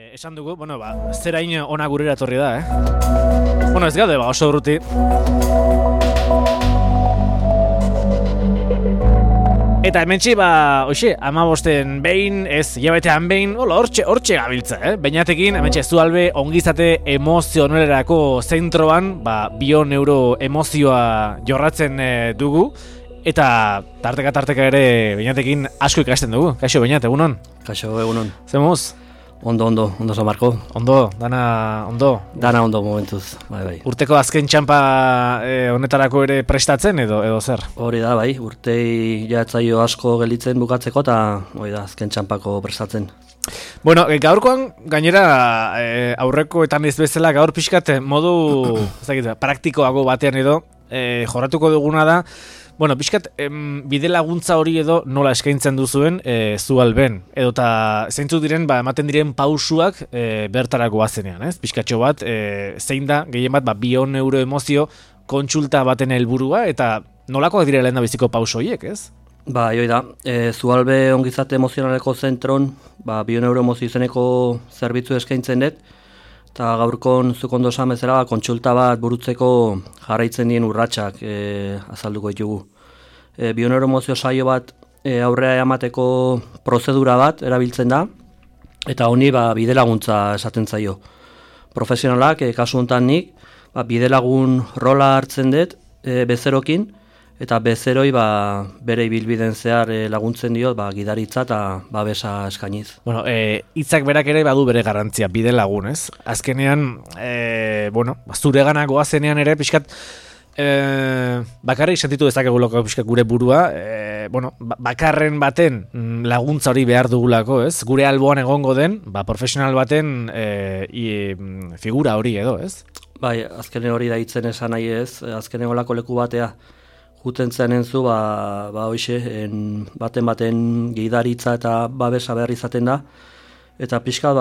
Esan dugu, zerain ona gurera etorri da, ez gaude, oso urruti. Eta hementsi, amabosten behin, ez, hilabetean behin, hortxe gabiltza, Beinatekin, hementsi, Zualbe ongizate emozionerako zentroan, bioneuroemozioa jorratzen dugu. Eta tarteka ere Beinatekin asko ikasten dugu. Kaixo, Beinat, egunon? Kaixo, egunon. Zemuz? Ondo, San Marko. Ondo, dana ondo? Dana ondo momentuz, bai. Urteko azken txampa honetarako ere prestatzen edo zer? Hori da, bai, urtei jatzaio asko gelditzen bukatzeko eta hori da, azken txampako prestatzen. Bueno, gaurkoan gainera aurrekoetan ez bezala gaur pixkat modu praktikoago batean edo jorratuko duguna da. Bueno, pixkat, bide laguntza hori edo nola eskaintzen duzuen Zualben. Edo eta zeintzuk diren, ematen diren pausuak bertarako bazenean, ez? Pixkatxo bat, zein da, gehien bat, bioneuroemozio kontsulta baten helburua eta nolakoak direla lehen da biziko pauso horiek, ez? Hoi da, Zualbe ongizate emozionaleko zentron, bioneuroemozio izeneko zerbitzu eskaintzen dut, eta gaurkon zuk ondo esan bezala kontsulta bat burutzeko jarraitzen dien urratsak azalduko ditugu. Bioneuroemozio saio bat aurrera emateko prozedura bat erabiltzen da, eta honi bide laguntza esaten zaio. Profesionalak, kasu honetan nik, bide lagun rola hartzen dut bezerokin, eta bezeroi bere ibilbiden zehar laguntzen diot gidaritza eta babesa eskainiz. Bueno, hitzak berak ere badu bere garrantzia, bide lagun, ez? Azkenean, zuregana goazenean ere pixkat bakarrik sentitu dezakegulako pixkat gure burua, bakarren baten laguntza hori behar dugulako, ez? Gure alboan egongo den, profesional baten figura hori edo, ez? Bai, azkene hori da hitzen esan nahi ez, azkene olako leku batea juten zen entzu, hoxe, baten gidaritza eta babesa behar izaten da, eta pixka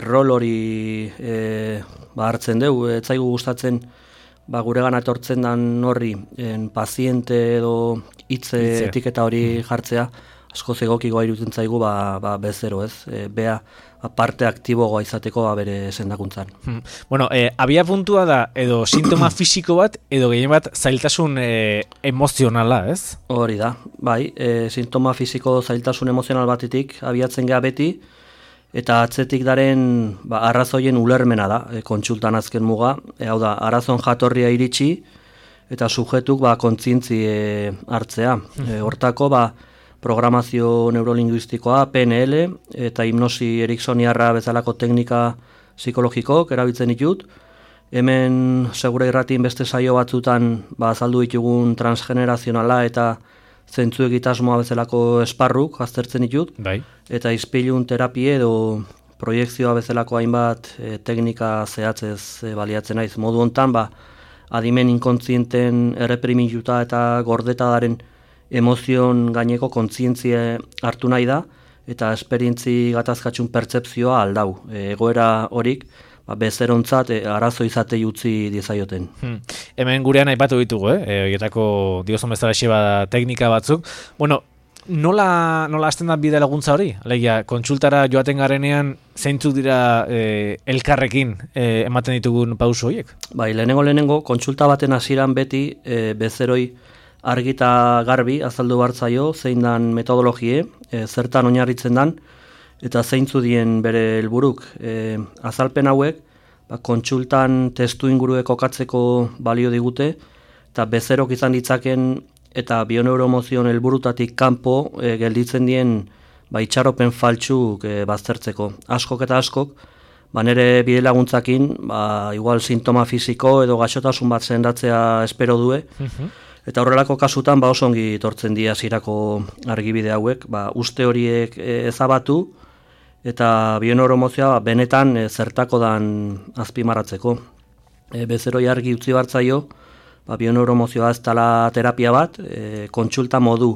rol hori hartzen dugu, etzaigu gustatzen gure gana etortzen dan horri paziente edo hitze etiketa hori jartzea, asko zegokikoa iruditzen zaigu bezero, ez? Bea parte aktiboagoa izateko bere sendakuntzan. Bueno, abia puntua da edo sintoma fisiko bat edo gehien bat zailtasun emozionala, ez? Hori da, bai, sintoma fisiko zailtasun emozional batetik abiatzen geha beti, eta atzetik daren arrazoien ulermena da, kontsultan azken muga, hau da, arazoen jatorria iritsi, eta sujetuk kontzientzi hartzea. Hortako, programazio neurolinguistikoa, PNL, eta hipnosi eriksoniarra bezalako teknika psikologikok erabiltzen ditut. Hemen segura irratin beste saio batzutan azaldu ditugun transgenerazionala eta zentzu egitasmoa bezalako esparruk aztertzen ditut. Bai. Eta izpilun terapie edo proiekzioa bezalako hainbat teknika zehatzez baliatzen naiz. Modu hontan, adimen inkontzienten erreprimiluta eta gordeta daren emozion gaineko kontzientzia hartu nahi da, eta esperientzi gatazkatxun pertzepzioa aldau. Egoera horik, bezerontzat arazo izatei utzi dizaioten. Hemen gurean aipatu ditugu, horietako diozon bezala teknika batzuk. Bueno, nola hasten da bide laguntza hori? Alegia, kontsultara joaten garenean zeintzuk dira elkarrekin ematen ditugun pauso horiek? Bai, lehenengo, kontsulta baten hasieran beti bezeroi argita garbi azaldu bartzaio, zein dan metodologie, zertan oinarritzen dan, eta zeintzu dien bere helburuk. Azalpen hauek, kontsultan testu ingurue kokatzeko balio digute, eta bezerok izan ditzaken eta bioneuroemozion helburutatik kanpo gelditzen dien itxaropen faltsuk baztertzeko. Askok eta askok, nire bide laguntzakin, igual sintoma fisiko edo gaixotasun bat sendatzea espero due, eta horrelako kasutan oso ongi tortzen dira hasierako argibide hauek, uste horiek ezabatu eta bioneuroemozioa benetan zertako dan azpimarratzeko. Bezeroi argi utzi bartzaio, bioneuroemozioa ez dela terapia bat, kontsulta modu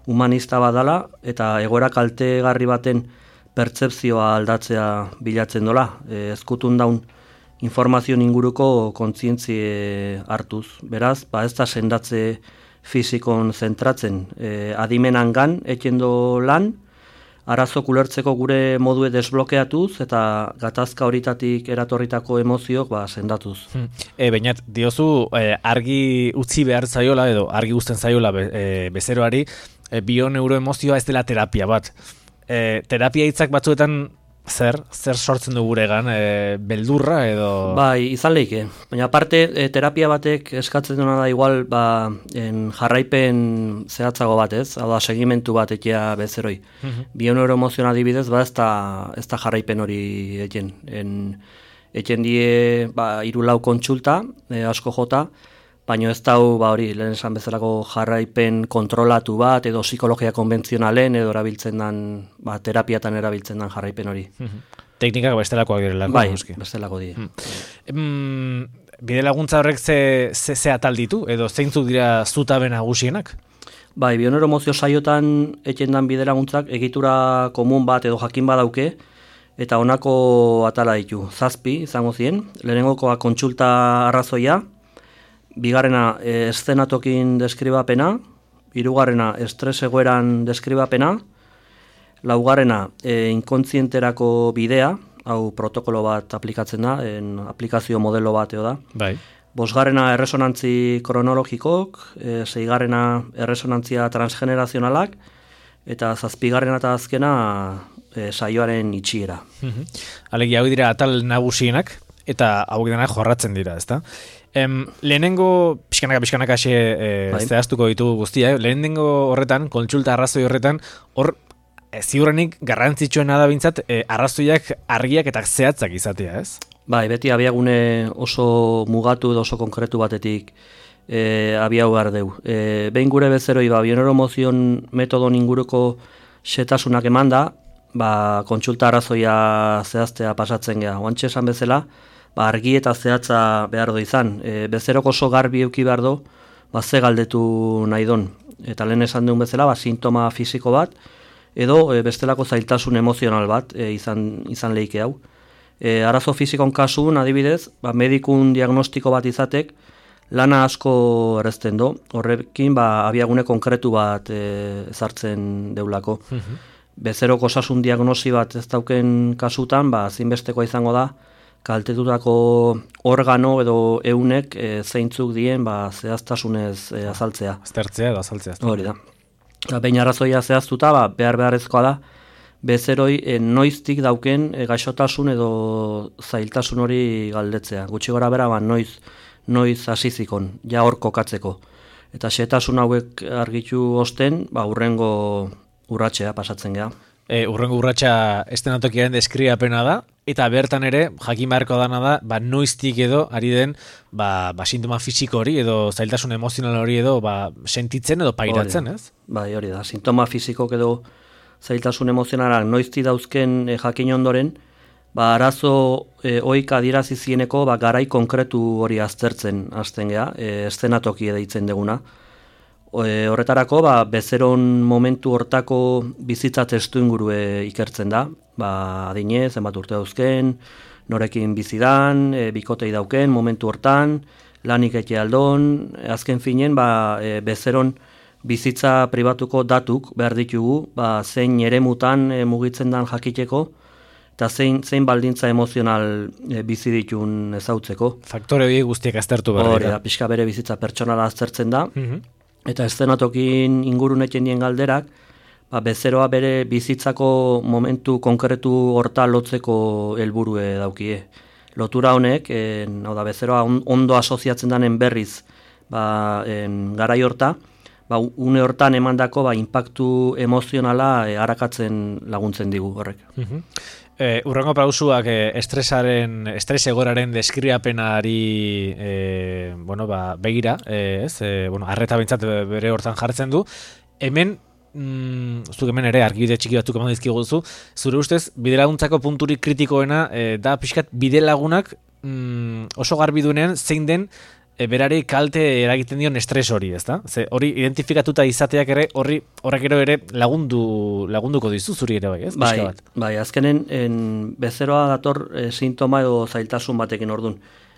humanista bat dela eta egoera kaltegarri baten pertzepzioa aldatzea bilatzen dola. Ezkutun daun informazio inguruko kontzientzie hartuz. Beraz, ez da sendatze fizikon zentratzen. Adimenangan etxendo lan, arazok ulertzeko gure modue desblokeatuz eta gatazka horitatik eratorritako emozioak sendatuz. Bainat, diozu argi utzi behar zaiola edo argi uzten zaiola bezeroari bioneuroemozioa ez dela terapia bat. Terapia hitzak batzuetan zer sortzen du guregan, beldurra edo... Bai, izan leike. Baina aparte, terapia batek eskatzen duena da igual, jarraipen zehatzago bat, ez? Hau da, segimentu bat ekia bezeroi. Bioneuroemozioa adibidez, ez da jarraipen hori eken. Eken die, 3-4 kontsulta, asko jota, baina ez dau, hori, lehen esan bezalako jarraipen kontrolatu bat, edo psikologia konbentzionalen, edo erabiltzen dan, terapiatan erabiltzen dan jarraipen hori. Teknikak bestelakoak direlako. Bai, bestelako die. Bide laguntza horrek ze atal ditu, edo zeintzuk dira zutabe nagusienak? Bai, bioneuroemozio saiotan eten dan bide laguntzak egitura komun bat edo jakin badauke, eta honako atala ditu. 7 izango ziren, lehenengokoa kontsulta arrazoia, bigarrena eszenatokin deskribapena, hirugarrena estres egoeran deskribapena, laugarrena inkontzienterako bidea, hau protokolo bat aplikatzen da, aplikazio modelo bat eo da. Bai. Bosgarrena erresonantzi kronologikok, seigarrena erresonantzia transgenerazionalak, eta 7garrena eta azkena saioaren itxiera. Alegia, hau dira atal nagusienak, eta hau denak jorratzen dira, ezta? Lehenengo pixkanaka zehaztuko ditu guztia, lehenengo horretan, kontsulta arrazoi horretan, hor ziurrenik garrantzitsuena da bintzat arrazoiak argiak eta zehatzak izatea, ez? Bai, beti abiagune oso mugatu edo oso konkretu batetik abiau behar deu. Behin gure bezeroi, bioneuroemozion metodon inguruko setasunak eman da, kontsulta arrazoia zehaztea pasatzen geha. Oantxe esan bezala, argi eta zehatza behar do izan. Bezerok oso garbi euki behar do, ze galdetu nahi don. Eta lehen esan duen bezala, sintoma fisiko bat, edo bestelako zailtasun emozional bat izan leike hau. Arazo fisikon kasun, adibidez, medikun diagnostiko bat izatek, lana asko errezten do. Horrekin, abiagune konkretu bat ezartzen deulako. Bezerok osasun diagnosi bat ez dauken kasutan, zinbestekoa izango da, kaltetutako organo edo eunek zeintzuk dien zehaztasunez azaltzea. Aztertzea edo azaltzea. Hori da. Behin arrazoia zehaztuta, beharrezkoa da, bezeroi noiztik dauken gaixotasun edo zailtasun hori galdetzea. Gutxi gora bera, noiz hasizikon, ja hor kokatzeko. Eta xetasun hauek argitu osten, urrengo urratxea pasatzen geha. Urrengo urratxa estenatokiaren deskriapena da, eta bertan ere, jakin beharko dana da, noiztik edo, ari den, sintoma fisiko hori, edo zailtasun emozional hori edo, sentitzen edo pairatzen, ez? Bai, hori da, sintoma fisikok edo zailtasun emozionalak noizti dauzken jakin ondoren, arazo oik adierazizieneko garai konkretu hori aztertzen hasten geha, eszenatoki deitzen deguna. Horretarako, bezeron momentu hortako bizitza testu ingurue ikertzen da, adinez, zenbat urte dauzken, norekin bizidan, bikotei dauken, momentu hortan, lanik eke aldon, azken finen, bezeron bizitza pribatuko datuk behar ditugu, zein eremutan mugitzen dan jakiteko, eta zein baldintza emozional bizi ditun ezautzeko. Faktore hori guztiak aztertu behar dira. Pixka bere bizitza pertsonala aztertzen da, eta eszenatokin inguruneten dien galderak, bezeroa bere bizitzako momentu konkretu horta lotzeko helburue daukie. Lotura honek, bezeroa ondo asoziatzen danen berriz garai horta, une hortan emandako inpaktu emozionala harakatzen laguntzen digu horrek. Urrengo pausuak estres egoraren deskriapenari begira, arreta bintzat bere hortan jartzen du. Hemen, zuk hemen ere argibide txiki batzuk eman dizkiguzu, zure ustez, bidelaguntzako punturik kritikoena da pixkat bidelagunak oso garbi duenean zein den berari kalte eragiten dion estres hori, ezta? Ze hori identifikatuta izateak ere horrek ere lagunduko dizu zuri ere bai, ez? Bai, azkenen bezeroa dator sintoma edo zailtasun batekin ordun.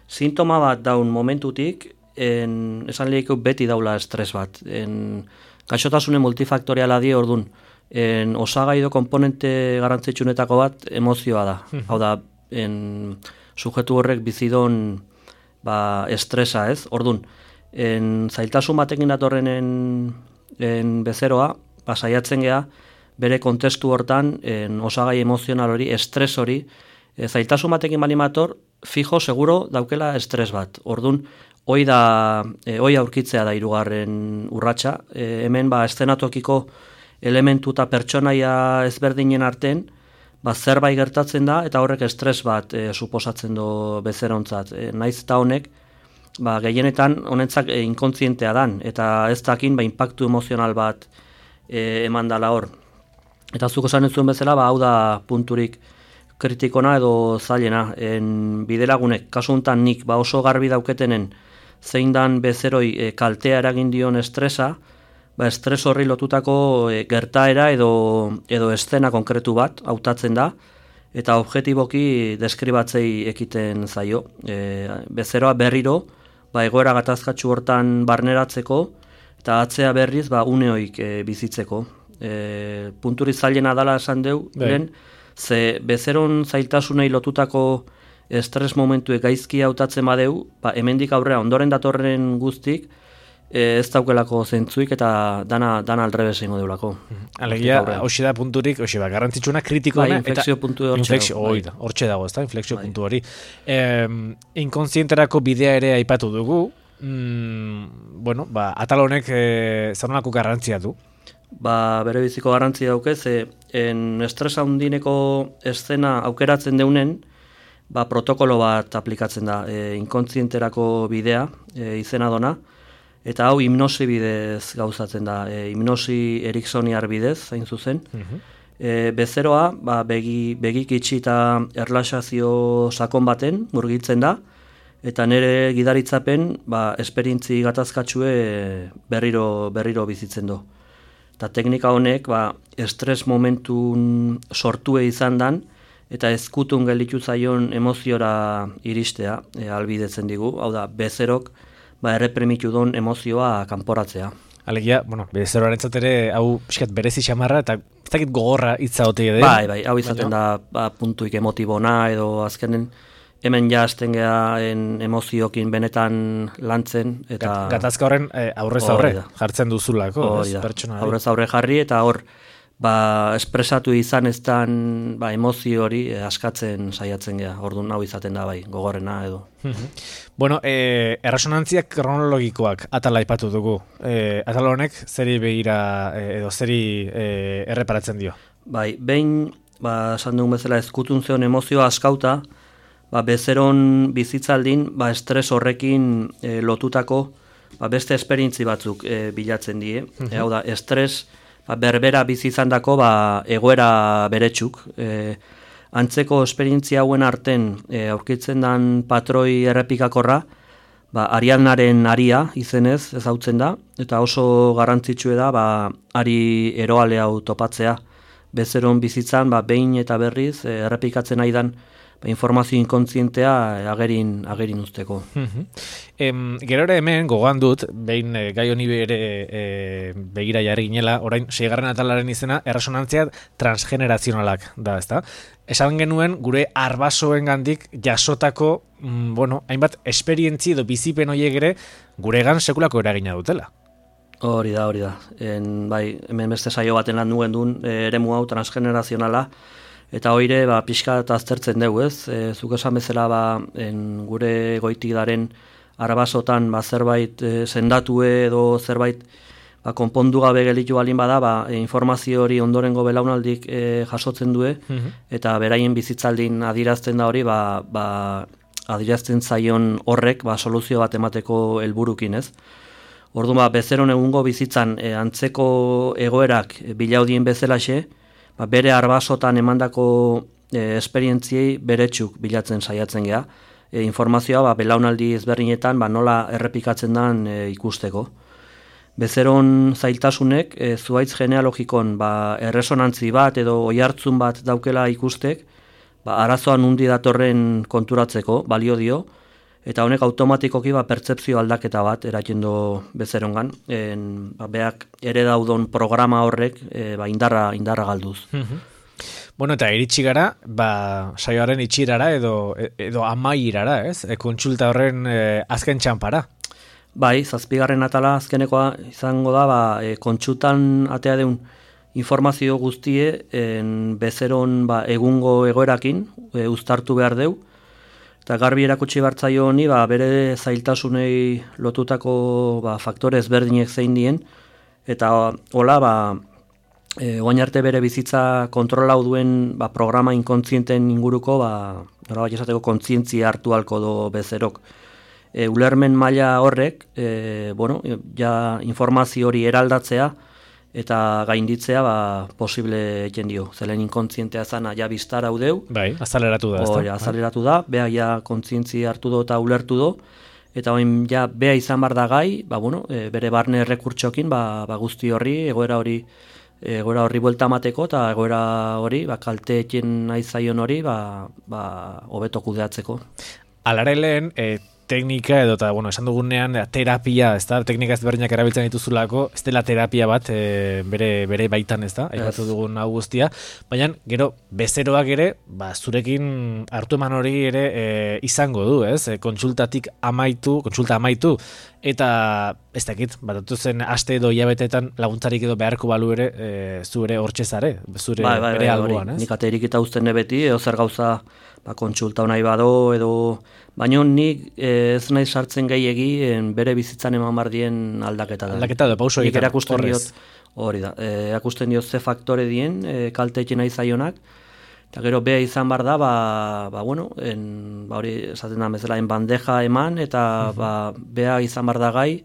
Sintoma bat daun momentutik, esan lehiko beti daula estres bat. Gaixotasune multifaktoriala die ordun. osagai edo komponente garrantzitsuenetako bat emozioa da. Hau da, sujetu horrek bizidon estresa, ez? Ordun, zailtasun batekin datorren bezeroa, saiatzen gea, bere kontestu hortan, osagai emozional hori, estres hori, zailtasun batekin balimator, fijo, seguro, daukela estres bat. Ordun, hoi aurkitzea da hirugarren urratsa. Hemen eszenatokiko elementu eta pertsonaia ezberdinen artean, zerbait gertatzen da, eta horrek estres bat suposatzen du bezerontzat. Naiz eta honek, gehienetan honentzak inkontzientea dan, eta ez dakin inpaktu emozional bat eman dala hor. Eta zuk esan ez zuen bezala, hau da punturik kritikona edo zailena. Bidelagunek, kasu honetan nik oso garbi dauketenen zein dan bezeroi kaltea eragin dion estresa, estres horri lotutako gertaera edo eszena konkretu bat hautatzen da, eta objektiboki deskribatzei ekiten zaio. Bezeroa berriro, egoera gatazkatsu hortan barneratzeko, eta atzea berriz uneoik bizitzeko. Punturi zailena dala esan deu, ze bezeron zailtasunei lotutako estres momentuek gaizki hautatzen badeu, hemendik aurrera ondoren datorren guztik, ez daukelako zentzuik eta dana aldrebes egingo deulako. Alegia, hoxe da punturik, garrantzitsuna kritikoena. Inflexio puntu hortxe dago, ezta, inflexio puntu hori. Inkontzienterako bidea ere aipatu dugu, atal honek zanolako garrantzia du? Bere biziko garrantzia daukez, estresa handineko eszena aukeratzen deunen, protokolo bat aplikatzen da, inkontzienterako bidea, izena dona, eta hau hipnosi bidez gauzatzen da, hipnosi eriksoniar bidez, hain zuzen. Bezeroa, begik itxi eta erlaxazio sakon baten murgitzen da, eta nire gidaritzapen, esperientzi gatazkatsue berriro bizitzen du. Eta teknika honek, estres momentun sortue izan dan, eta ezkutun gelditu zaion emoziora iristea albidetzen digu, hau da, bezerok, erreprimitu don emozioa kanporatzea. Alegia, bezeroaren ere, hau pixkat berezi xamarra, eta ez dakit gogorra hitza hotei edo. Hau izaten da puntuik emotibona, edo azkenen hemen jazten geha emoziokin benetan lantzen. Gatazka horren aurrez aurre jartzen duzulako. Aurrez aurre jarri, eta hor, espresatu izan ez dan emozio hori askatzen saiatzen geha. Orduan hau izaten da gogorrena edo. Erresonantziak kronologikoak atala aipatu dugu. Atal honek zeri begira edo zeri erreparatzen dio? Behin, esan dugun bezala ezkutun zeon emozioa askauta, bezeron bizitzaldin, estres horrekin lotutako beste esperientzi batzuk bilatzen die. Hau da, estres berbera bizi izandako egoera beretsuk. Antzeko esperientzia hauen arten aurkitzen dan patroi errepikakorra, Ariadnaren aria izenez ezautzen da, eta oso garrantzitsue da ari eroale hau topatzea. Bezeron bizitzan behin eta berriz errepikatzen aidan informazio inkontzientea agerin usteko. Gero ere hemen gogoan dut, behin gai honi bere begira jarri ginela, orain 6. atalaren izena erresonantzia transgenerazionalak da, ezta? Esan genuen gure arbasoen gandik jasotako, hainbat esperientzi edo bizipen horiek ere guregan sekulako eragina dutela. Hori da. Hemen beste saio baten lan duen duen eremu hau transgenerazionala, eta hoire pixka eta aztertzen dugu, ez? Zuk esan bezala gure goitik daren arabasotan zerbait sendatue edo zerbait konpondu gabe gelitu balin bada, informazio hori ondorengo belaunaldik jasotzen du, eta beraien bizitzaldin adirazten da hori, adirazten zaion horrek soluzio bat emateko helburukin, ez? Orduan, bezeron egungo bizitzan antzeko egoerak bilaudien bezalaxe, bere arbasotan emandako esperientziei beretsuk bilatzen saiatzen geha. Informazioa belaunaldi ezberdinetan nola errepikatzen den ikusteko. Bezeron zailtasunek zuhaitz genealogikon erresonantzi bat edo oihartzun bat daukela ikustek, arazoan undi datorren konturatzeko balio dio, eta honek automatikoki pertzepzio aldaketa bat eratzen du bezerongan, beak ere daudon programa horrek indarra galduz. Bueno, eta iritsi gara, saioaren itxirara edo amairara, ez? Kontsulta horren azken txanpara. Bai, 7. atala azkenekoa izango da, kontsultan atea deun informazio guztie bezeron egungo egoerakin uztartu behar deu, eta garbi erakutsi bartzaio honi bere zailtasunei lotutako faktore ezberdinek zein dien, eta hola oain arte bere bizitza kontrolau duen programa inkontzienten inguruko nolabait esateko kontzientzia hartu halko do bezerok. Ulermen maila horrek ja informazio hori eraldatzea eta gainditzea posible egiten dio. Zelen inkontzientea zana ja biztara udeu. Bai, azaleratu da. Azaleratu da, beha ja kontzientzia hartu do eta ulertu do, eta oin ja beha izan bar da gai, bere barne errekurtsokin guzti horri, egoera horri buelta mateko, eta egoera hori, kalteekin nahi zaion hori, hobeto kudeatzeko. Alare lehen, teknika edo, esan dugunean, terapia, ez da, teknika ezberdinak erabiltzen dituzulako, ez dela terapia bat, bere baitan, ez da, aipatu dugun hau guztia, baina, gero, bezeroak ere, zurekin hartu eman hori ere izango du, ez, kontsulta amaitu, eta ez dakit, zen aste edo hilabetetan laguntzarik edo beharko balu ere, zu ere hortxezare, zure bere alboan, ez? Nik aterik eta uzten nebeti, edo zer gauza kontsulta nahi bado, edo baina nik ez nahi sartzen gehiegi bere bizitzan eman bardien aldaketa da. Aldaketa da, pauso egiten, horrez. Hori da, erakusten diot ze faktore dien, kalteekin nahi zaionak, eta gero beha izan bar da, hori esaten da bezala, bandeja eman, eta beha izan bar da gai,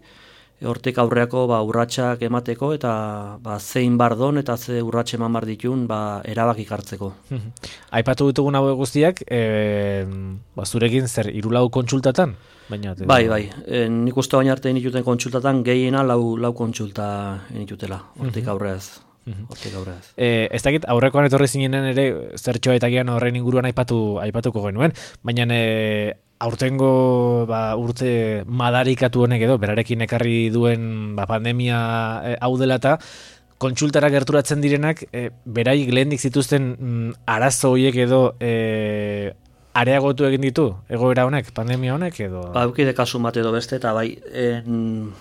hortik aurreako urratsak emateko, eta zein bardon, eta ze urratxe eman bar ditun, erabakik hartzeko. Aipatu ditugun hau guztiak, zurekin zer, 3 kontsultatan? Bai, nik uste baina arte inituten kontsultatan, gehiena lau kontsulta initutela, hortik aurreaz. Ez dakit, aurrekoan etorri zinenen ere, zertxoa eta gian horrein inguruan aipatuko genuen, baina aurtengo urte madarikatu honek edo, berarekin ekarri duen pandemia hau dela eta kontsultara gerturatzen direnak, beraik lehendik zituzten arazo horiek edo areagotu egin ditu, egoera honek, pandemia honek edo? Eukide kasu bat edo beste, eta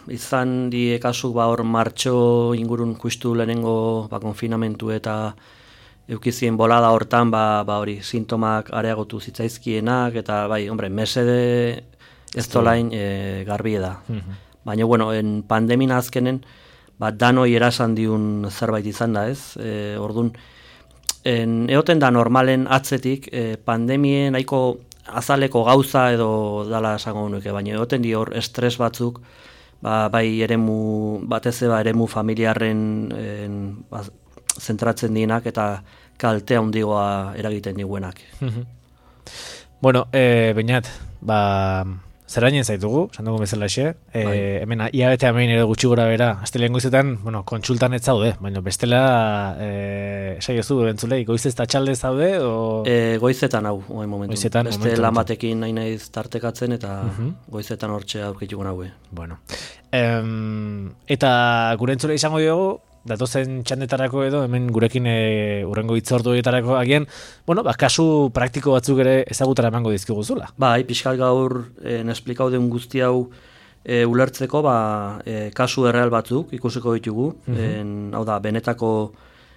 izan die kasu hor martxo ingurun kustu lehenengo konfinamentu eta eukizien bolada hortan, hori, sintomak areagotu zitzaizkienak, eta mesede ez dolain garbi da. Baina, pandemina azkenen, danoi erasan diun zerbait izan da, ez? Orduan, egoten da normalen atzetik, pandemien nahiko azaleko gauza edo dala esango nuke, baina egoten di hor estres batzuk, batez eremu familiarren zentratzen dienak eta kaltea handigoa eragiten diguenak. Bueno, Beñat, zerainen zaitugu, sandugu bezala xe, hemen iabete amein ere gutxi gora bera, astelean goizetan, kontsultan ez zaude, baina bestela, saiozu, entzulei, goizez eta txalde zaude, o... Goizetan hau, momentu. Beste lan batekin nahi naiz tartekatzen, eta goizetan hortxe aurkituko naue. Bueno. Eta gure entzulei izango diogu, datozen txandetarako edo, hemen gurekin urrengo hitzorduetarako agian, kasu praktiko batzuk ere ezagutara emango dizkiguzula. Pixkat gaur esplikau den guzti hau ulertzeko, kasu erreal batzuk ikusiko ditugu, hau da, benetako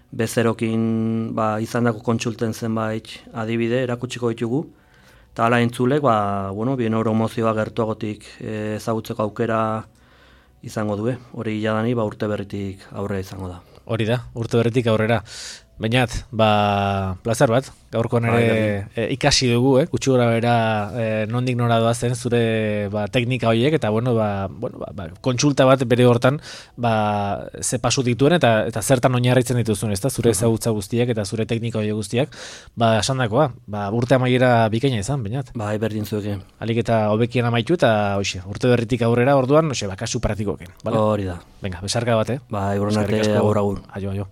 bezerokin izandako kontsulten zenbait adibide erakutsiko ditugu, eta hala entzulek, bieneuromozioa gertuagotik ezagutzeko aukera izango du, hori jadani urte berritik aurrera izango da. Hori da, urte berritik aurrera. Beñat, plazer bat, gaurkoan ere ikasi dugu, gutxi gora bera nondik nora doazen zure teknika horiek, eta kontsulta bat bere hortan ze pasu dituen eta zertan oinarritzen dituzun, ezta zure ezagutza guztiak eta zure teknika horiek guztiak, esandakoa, urte amaiera bikaina izan, Beñat. Berdin zuekin. Alik eta hobekien amaitu eta urte berritik aurrera orduan, kasu praktikoken. Hori da. Venga, besarka bat, Urren arte, agur. Aio.